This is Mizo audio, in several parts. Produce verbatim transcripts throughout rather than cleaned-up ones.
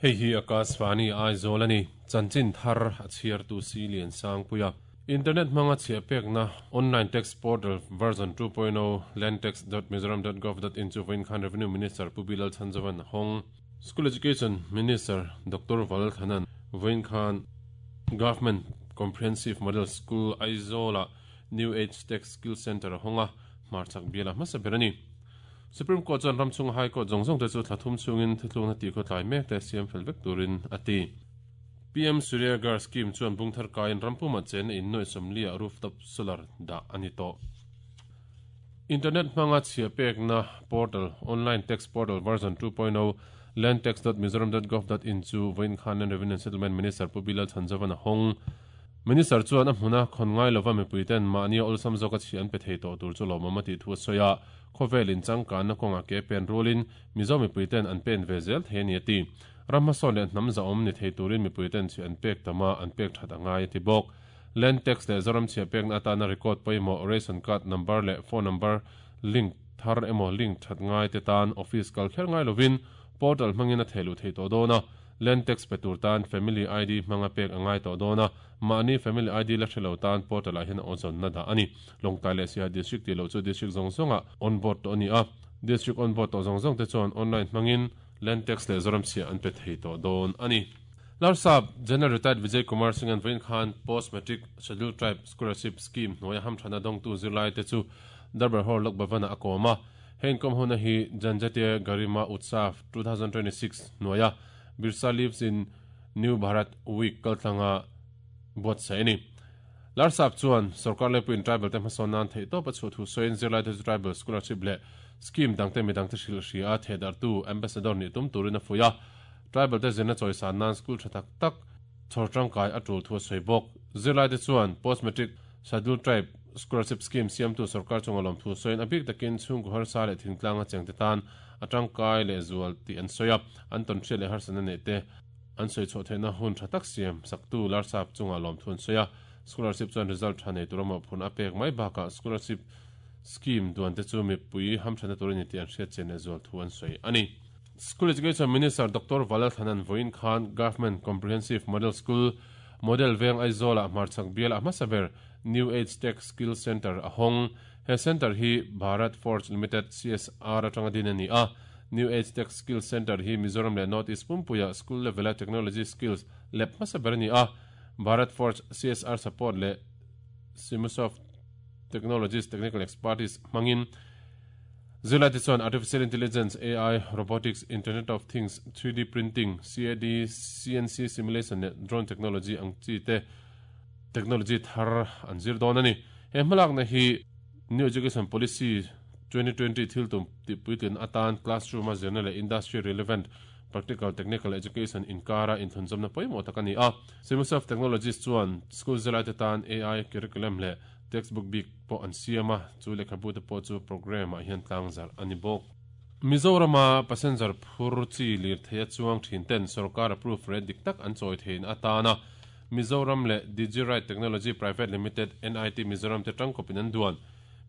Hei hi Akashvani Aizawl ani chanchin thar a chhiar tu si lian sang puia internet hmanga chhia pekna online tax portal version two point oh landtax dot mizoram dot gov dot in chu vawiin khan revenue minister Pu Bilal Chhanzovan hawng school education minister Doctor Valthanan vawiin khan government comprehensive model school Aizawla new age tech skill center hawnga hmarchak biala hmasa ber ani Supreme Court chuan ramchung High Court zawng zawng te chu thlathum chungin thuthlungna tih khaw tlai mek te siam fel vek turin a ti. P M Surya Ghar scheme chuan bungthar kain rampuma chen in noi somlia rooftop solar da ani to. Internet hmanga chhia pekna portal online tax portal version two point oh landtax dot mizoram dot gov dot in chu vawiin khan revenue and settlement minister Pu Bilal Chhanzovan a hawng. Minister chuan a hmuna khon ngai lova mipuiten mahni awlsam zawk a chhi an pe thei tawh tur chu lawmawm a tih thu a sawi a khawvelin changkan na kawnga ke pen rulin mizo mipuiten an pen ve zel thei ani a ti. Ramhmasawn leh hnam za awm ni thei turin mipuiten chhi an pek tama an pek that angai a ti bawk. Land tax leh Zoram chhia pekna atana record pawimawh ration card number leh phone number link thar emaw link that ngai te tan office kal kher ngai lovin portal hmangin a theilu thei tawh dawn a. Land tax pe tur tan family I D hmanga pek angai tawh dawn a mahni family I D la hrelo tan portal ah hian a awzawn na dah ani. Lawngtlai leh Siaha district tih loh chu district zawng zawnga on board tawh ani a. District on board tawh zawng zawng te chuan online hmangin land tax leh Zoram chhia an pe thei tawh dawn ani. Larsap General Retired Vijay Kumar Singh an vawiin khan post matric scheduled tribe scholarship scheme hnuaia hamthana dawngtu zirlai te chu Darbar Hall Lok Bhavana a kawm a. Heng kawm huna hi Janjatiya Garima Utsav two thousand twenty-six hnuaia Birsa lives in New Bharat Week kaltlanga buatsaih ani. Larsap chuan sarkar lepuin tribal te hmasawn nan theih tawp a chhuah thu sawiin zirlai te chu tribal scholarship leh scheme dangte midangte hrilh hria a thehdartu ambassador nih tum turin a fuih a. Tribal te zirna chawisan nan school tha tak tak chhawr tangkai a tul thu a sawi bawk. Zirlai te chuan post matric scheduled tribe scholarship scheme siamtu sarkar chunga lawm thu sawiin a bik takin chhungku harsa leh thingtlanga cheng te tan a tangkai leh zual tih an sawi a. An tawn hriat leh harsana nei te an sawi chhuah theihna hun tha tak siam saktu Larsap chunga lawm thu an sawi a. Scholarship chuan result tha nei tur a mawhphurhna a pek mai bakah scholarship scheme duan te chu mipui hamthana turin ni tih an hriat chen leh zual thu an sawi ani. School Education Minister Doctor Valthanan vawiin khan Government Comprehensive Model School Model Veng Aizawla hmarchak biala hmasa ber New Age Tech Skill Center a hawng. He center hi Bharat Forge Limited C S R atanga din ani a. New Age Tech Skill Center hi Mizoram leh North East Pumpuia school level a technology skills lab hmasa ber ani a. Bharat Forge C S R support leh Simusoft Technologies Technical Expertise hmangin zirlai te chuan artificial intelligence A I robotics internet of things three D printing C A D C N C simulation leh drone technology ang chi te technology thar an zir dawn ani. He hmalak na hi New Education Policy twenty twenty thil tum ti puitlin atan classroom a zirna leh industry relevant practical technical education inkara inthunzawmna pawimawh tak ani a. Simusoft Technologies chuan school zirlai te tan A I curriculum leh textbook bik pawh an siam a chu lehkhabu te pawh chu program ah hian tlang zar ani bawk. Mizorama passenger phur chi lir thei a chuang thin ten sarkar approve rate dik tak an chawi thein atana Mizoram leh Digiride Technology Private Limited N I T Mizoram te tangkawpin an duan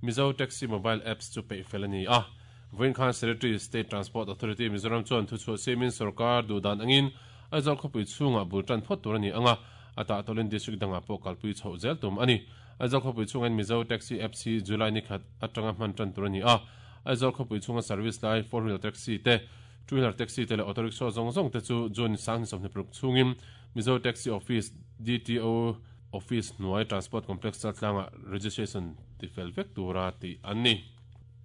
Mizo Taxi mobile apps chu peih fel ani a. Vawiin khan Secretary State Transport Authority Mizoram chuan thu chhuah siamin sarkar duhdan angin Aizawl khawpui chhungah bul tan phawt tur ani anga ata tawlin district dangah pawh kalpui chhoh zel tum ani. Aizawl khawpui chhungin Mizo Taxi apps hi July ni khat atanga hman tan tur ani a. Aizawl khawpui chhunga service lai four wheeler taxi te two wheeler taxi te leh auto rickshaw zawng zawng te chu June sang sawmhnih paruk chhungin Mizo Taxi Office D T O Office hnuai Transport Complex chaltlanga registration ti fel vek tura tih an ni.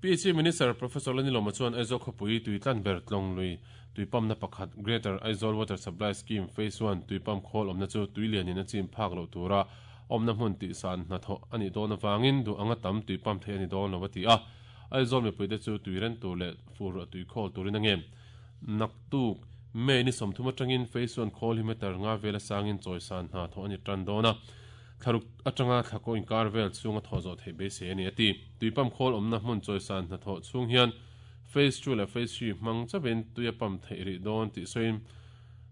P H E Minister Professor Lalnilawma chuan Aizawl khawpui tuitlan ber tlawng lui tuipamna pakhat Greater Aizawl Water Supply Scheme Phase one tuipam khawl awmna chu tuilianin a chim phak loh tura awmna hmun tih san hnathawh ani dawn awangin duh anga tam tuipam thei ani dawn lo a ti a. Aizawl mipui te chu tuiren tur leh fur ruah tui khawl turin a ngem. Naktuk May ni sawmthum atangin Phase one khawl hi meter nga vela sangin chawisan hnathawh ani tan dawn a. Thlaruk atanga thlakaw inkar vel chhunga thaw zawh theih beisei ani a ti. Tuipam khawl awmna hmun chawisan hnathawh chhung hian Phase two leh Phase three hmang chawin tuia pam theih rih dawn tih sawiin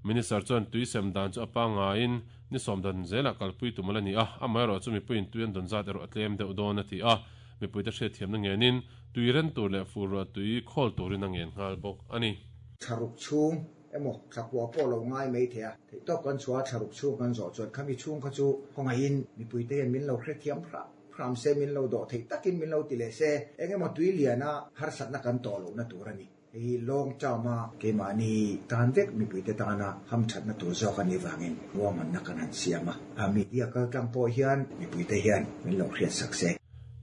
Minister chuan tui sem dan chu a pangaiin ni sawm dan zelah kalpui tum ala ni a. Amaherawh chu mipuiin tui an dawn zat erawh a tlem deuh dawn a ti a. Mipui te hriat thiamna ngenin tuiren tur leh fur ruah tui khawl turin a ngen nghal bawk ani. Thlaruk chhung emaw thlakua pawh lo ngai mai thei a thei tawp kan chhuah thlaruk chhung kan zawh chuan khami chhung kha chu khawngaihin mipuite hian min lo hrethiam hram hram se min lo dawh thei takin min lo ti leh se engemaw tui liana harsatna kan tawh lohna tur a ni. Hei long term a keimahni tan vek mipuite tana hamthatna tur zawk ani wangin ruahmanna kan han siam a media kaltlang pawh hian mipuite hian min lo hriat sak se.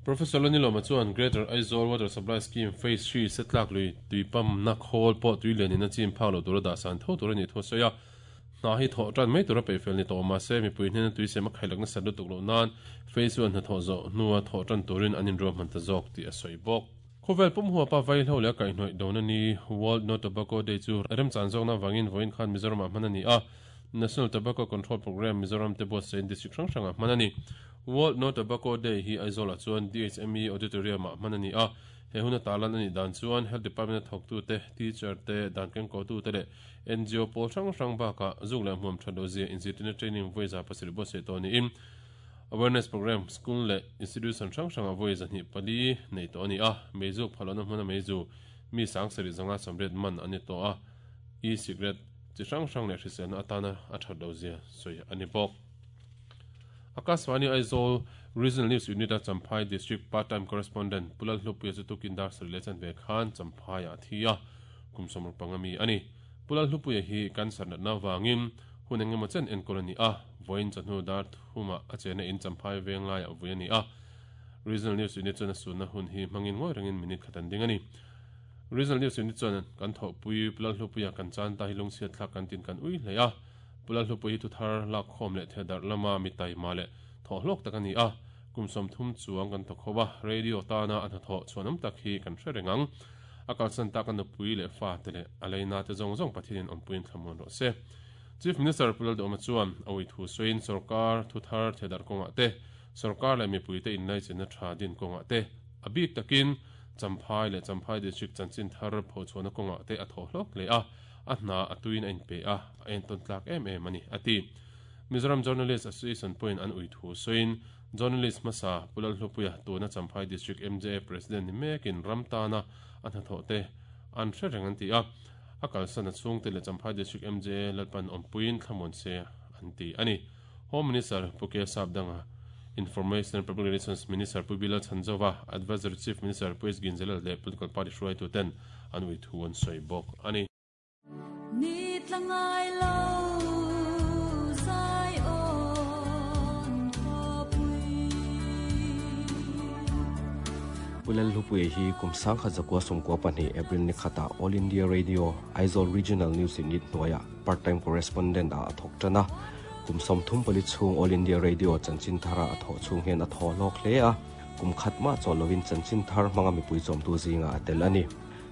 Professor Lalnilawma chuan Greater Aizawl Water Supply Scheme Phase three setlak lui tuipam na khawl pawh tui lianin a chim phak lo tura dah san tho tur ani thu sawi a hna hi thawh tan mai tura peifel ni tawh mahse mipui hnena tui sem a khailakna sat lutuk loh nan Phase one hna thawh zawh hnua thawh tan turin an inruahman ta zawk tih a sawi bawk. Khawvel pum huwa pa vaihlo leh kaihhnawih dona ni World No Tobacco Day chu remchan zawkna wangin vawiin khan Mizoramah hman a ni a. National Tobacco Control Program Mizoram te buatsaih district hrang hrangah hman a ni. World No Tobacco Day hi Aizawlah chuan D H M E Auditorium-ah hman a ni a. He hun a talan a nih dan chuan Health Department a thawktute, teacher te, dan kengkawtute leh N G O pawl hrang hrang bakah zuk leh hmuam that lo zia inzirtirna training vawiza pasarih buatsaih tawh niin awareness program school leh institution hrang hrangah vawiza hnih pali nei tawh a ni a. Meizuk phalawhna hmuna meizu mi sang sarih zanga sawmriat man a ni tawh a. E-cigarette chi hrang hrang leh hriselna atana a that lo zia sawi a ni bawk. Akashvani Aizawl Regional News Unit a Champhai District Part-time Correspondent Pulal Hlupuia chu tukin dar sarih leh chanve khan Champhai a thi a kum sawmruk panga mi a ni. Pulal Hlupuia hi cancer natna wangin hun engemaw chen enkawl a ni a. Vawiin chawhnu dar thuma a chena in Champhai veng laiah vui a ni a. Regional News Unit chuan a sunna hun hi hmangin ngawi rengin minute khat an ding a ni. Regional News Unit chuan kan thawhpui Pulal Hlupuia kan chan ta hi lungchhiat thlak kan tin kan ui hle a. Pulal Hlupuia hi thuthar lak khawm leh thedar lama mi taima leh thawh hlawk tak a ni a. Kum sawm thum chuang kan thawk ho a. Radio tana a hnathawh chhuanawm tak hi kan hre reng ang. A kalsan tak a nupui leh fa te leh a leina te zawng zawng Pathianin awmpuiin thlamuan rawh se. Chief Minister Pulal Duhawma chuan a ui thu sawiin sarkar thuthar thedar kawngah te, sarkar leh mipuite inlaichenna tha din kawngah te, a bik takin Champhai leh Champhai District chanchin thar phochhuahna kawngah te a thawh hlawk hle a. A hna a tuin a inpe a, a entawn tlak em em a ni a ti. Mizoram Journalist Association pawhin an ui thu sawiin Journalist hmasa Pulal Hlupuia tuna Champhai District M J A President ni mekin ram tana a hnathawh te an hre reng an ti a. A kalsan a chhungte leh Champhai District M J A Lalpan awmpuiin thlamuan se an ti a ni. Home Minister Pu K Sapdanga, Information and Public Relations Minister Pu Bilal Chanzova, Advisory Chief Minister Pu S Ginzalal leh Political Party hruaituten an ui thu an sawi bawk a ni. Ni tlangai lo zai on khawpui. Pulal Hlupuia hi kum sang khat zakua sawmkua pahnih April ni khata All India Radio Aizawl Regional News Unit hnuaiah part-time correspondent a a thawk tan a. Kum sawm thum pali chhung All India Radio chanchin thara a thawh chhung hian a thaw hlawk hle a. Kum khat mah chaw lovin chanchin thar hmanga mipui chawmtu zinga a tel a ni.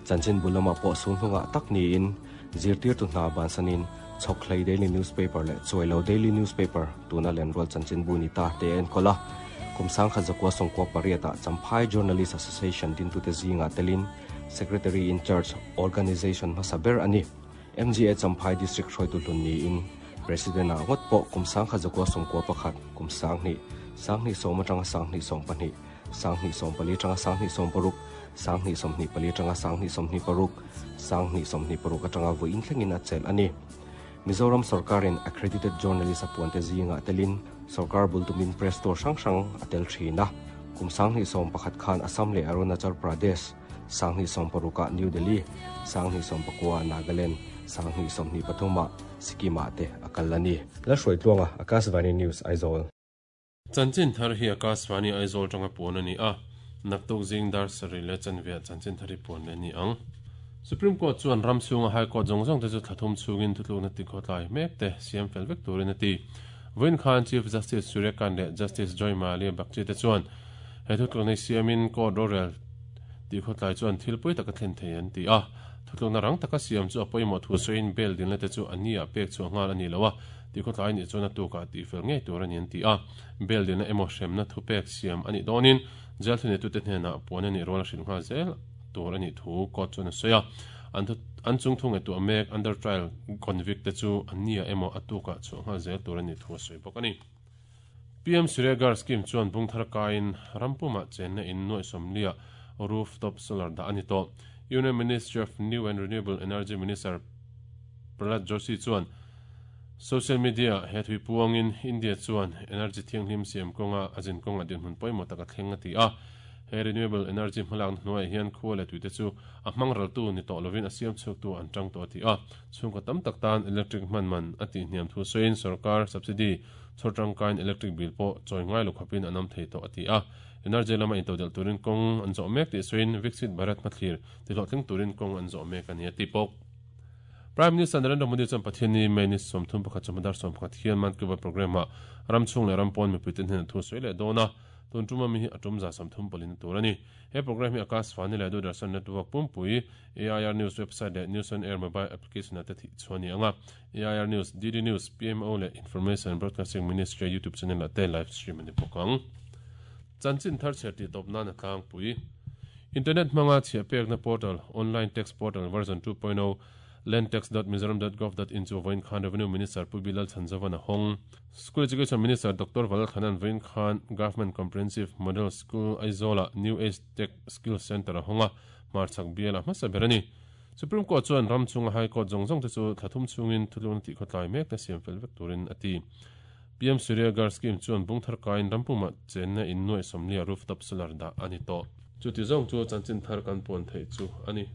Chanchin bulamah pawh sul hnungah tak niin zirtir tu hna bansanin Chhawkhlei Daily Newspaper leh Chuailo Daily Newspaper tuna lenrual chanchin bu ni ta te enkawl a. Kum sang khat zakua sawmkua pariatah Champhai Journalist Association dintute zinga telin Secretary in Charge Organization hmasa ber a ni. M G A Champhai District hruaitu hlun niin President a ngawt pawh kum sang khat zakua sawmkua pakhat kum sang hnih sang hnih sawm atanga sang hnih sawm pahnih sang hnih sawm pali atanga sang hnih sawm paruk sang hnih sawm hnih pali atanga sang hnih sawm hnih paruk sang hnih sawm hnih paruk atanga vawiin thlengin a chelh a ni. Mizoram sarkarin accredited journalist a puante zinga telin sarkar bultumin press tour hrang hrang a tel thin a. Kum sang hnih sawm pakhat khan Assam leh Arunachal Pradesh, sang hnih sawm parukah New Delhi, sang hnih sawm pakua Nagaland, sang hnih sawm hnih pathumah Sikkimah te a kal a ni. La hruai tluanga Akashvani News Aizawl. Chanchin thar hi Akashvani Aizawl tanga puan a ni a. Naktuk zing dar sarih leh chanve chanchin thar hi puan leh ni ang. Supreme Court chuan ram chhunga High Court zawng zawng te chu thlathum chhungin thutlukna ti khawtlai mek te siam fel vek turin a ti. Vawiin khan Chief Justice Surya Kant leh Justice Joy Mallya Bagchi te chuan he thutlukna siamin court rorel ti khawtlai chuan thil pui taka thlen thei an ti a. Thutlukna rang taka siam chu a pawimawh thu sawiin bail dinna te chu an ni ah pek chu nghal a ni lo a. Ti khawtlai ni chuan a tukah ti fel ngei tur a ni an ti a. Bail dinna emaw hremna thu pek siam a nih dawnin jail thuneitu te hnenah puan a nih rual a hrilh nghal zel tur a nih thu court chuan a sawi a. An an chung thung nge tu a mek under trial convict te chu an ni ah emaw a tukah chhuah nghal zel tur a nih thu a sawi bawk a ni. P M Surya Ghar Scheme chuan bungthar kain rampumah chenna in nuaih sawmliah rooftop solar dah a ni tawh. Union Ministry of New and Renewable Energy Minister Prahlad Joshi chuan social media he thui puangin India chuan energy thianghlim siam kawnga a zin kawnga dinhmun pawimawh tak a thleng a ti a. He renewable energy hmalakna hnuaiah hian khua leh tuite chu a hmang raltu ni tawh lovin a siam chhuaktu an tang tawh a ti a. Chhungkaw tam tak tan electric hman man a tih hniam thu sawiin sorkar subsidy chhawr tangkain electric bill pawh chawi ngai lo khawpin an awm thei tawh a ti a. Energy lama intodelh turin kawng an zawh mek tih sawiin Viksit Bharat hmathlir tihlawhtling turin kawng an zawh mek a ni a ti bawk. Prime Minister Narendra Modi chuan Pathianni May ni sawmthum pakhat chawhmadar sawm pakhat hian Mann Ki Baat programme-ah ram chhung leh ram pawn mipuite hnenah thu sawi leh dawn a. Tun tuma mi hi a tum za sawmthum pawlin a tur a ni. He programme hi Akashvani leh Doordarshan Network pumpui, A I R News website leh News on Air mobile application-ah te thih chhuah a ni ang a. A I R News, D D News, P M O leh Information and Broadcasting Ministry YouTube channel-ah te live stream a ni bawk ang. Chanchin thar chhiar tih tawp nan a tlangpui. Internet hmanga chhiah pekna portal, Online Tax Portal version two point oh, landtax dot mizoram dot gov dot in chu vawiin khan Revenue Minister Pu Bilal Chhanzovan a hawng. School Education Minister Doctor Valal Khanan vawiin khan Government Comprehensive Model School Aizawla New Age Tech Skills Centre a hawng a, hmarchhak bial a hmasa ber a ni. Supreme Court chuan ram chunga High Court zawng zawng te chu thla thum chungin thulung tih khawtlai mek te siam fel vek turin a ti. P M Surya Ghar Scheme chuan bungthar kain rampumah chenna in nuai sawmlia rooftop solar dah a ni tawh. Chuti zawng chu chanchin thar kan puan theih chu a ni.